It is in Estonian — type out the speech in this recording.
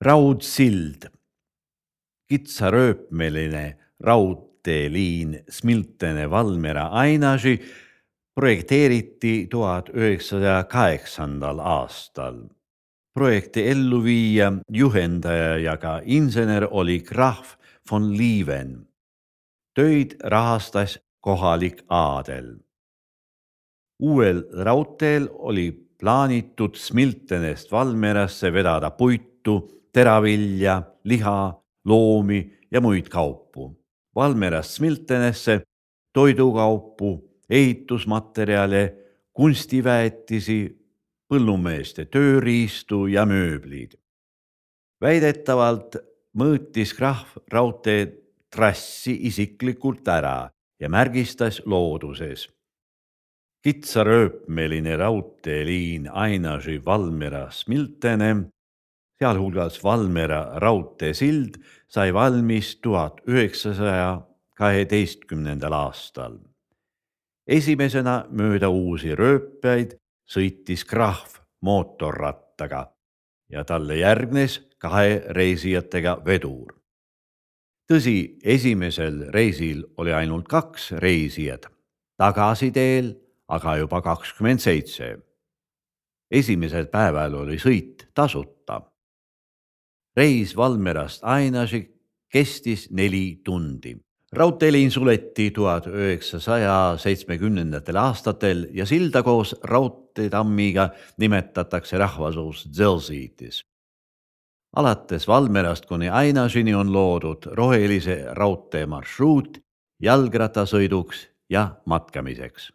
Raudsild, kitsarööpmeline raudteeliin Smiltene-Valmiera-Ainaži projekteeriti 1908. aastal. Projekti elluviija, juhendaja ja ka insener oli Graf von Lieven. Töid rahastas kohalik aadel. Uuel raudteel oli plaanitud Smiltenest Valmierasse vedada puitu, teravilja, liha, loomi ja muid kaupu. Valmierast Smiltenesse toidukaupu, ehitusmaterjale, kunstiväetisi, põllumeeste tööriistu ja mööblid. Väidetavalt mõõtis Graf raudtee trassi isiklikult ära ja märgistas looduses. Kitsarööpmeline raudteeliin Ainaži-Valmiera-Smiltene, sealhulgas Valmiera raudteesild, sai valmis 1912. aastal. Esimesena mööda uusi rööpeid sõitis Graf mootorrattaga ja talle järgnes 2 reisijatega vedur. Tõsi, esimesel reisil oli ainult 2 reisijat, tagasiteel aga juba 27. Esimesel päeval oli sõit tasuta. Reis Valmierast Ainaži kestis 4 tundi. Raudteeliin suleti 1970. aastatel ja silda koos raudteetammiga nimetatakse rahvasuus Zelziitis. Alates Valmierast kuni Ainažini on loodud rohelise raudtee marsruut jalgrattasõiduks ja matkamiseks.